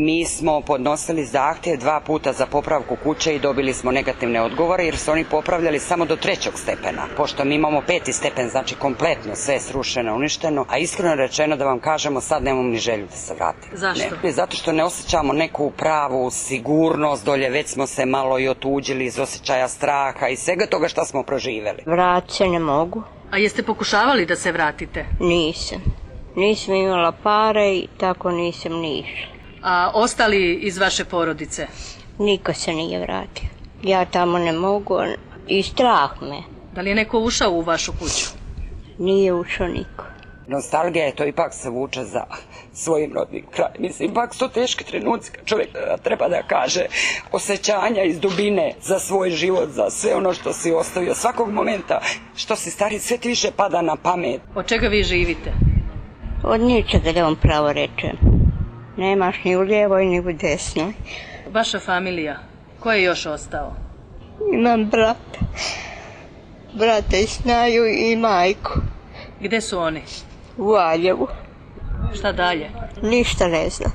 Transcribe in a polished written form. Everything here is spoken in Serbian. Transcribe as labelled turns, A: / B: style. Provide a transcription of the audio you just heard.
A: Mi smo podnosili zahtjev 2 puta za popravku kuće i dobili smo negativne odgovore jer su oni popravljali samo do 3. stepena. Pošto mi imamo 5. stepen, znači kompletno sve je srušeno, uništeno, a iskreno rečeno da vam kažemo sad nemamo ni želju da se vratimo.
B: Zašto?
A: Ne, zato što ne osjećamo neku pravu sigurnost dolje, već smo se malo i otuđili iz osjećaja straha i svega toga što smo proživjeli.
C: Vrat se ne mogu.
B: A jeste pokušavali da se vratite?
C: Nisam imala pare i tako nisam ni išla.
B: A ostali iz vaše porodice?
C: Niko se nije vratio. Ja tamo ne mogu i strah me.
B: Da li je neko ušao u vašu kuću?
C: Nije ušao niko.
A: Nostalgija je to ipak se vuče za svojim rodnim krajem. Mislim, ipak su to teški trenuci kad čovjek treba da kaže osjećanja iz dubine za svoj život, za sve ono što si ostavio. Svakog momenta što si stari, sve ti više pada na pamet.
B: Od čega vi živite?
C: Od ničega, da vam pravo rečem. Nemaš ni u lijevoj ni u desnoj.
B: Vaša familija, ko je još ostao?
C: Imam brata i snaju i majku.
B: Gde su oni?
C: U Valjevu.
B: Šta dalje?
C: Ništa ne znam.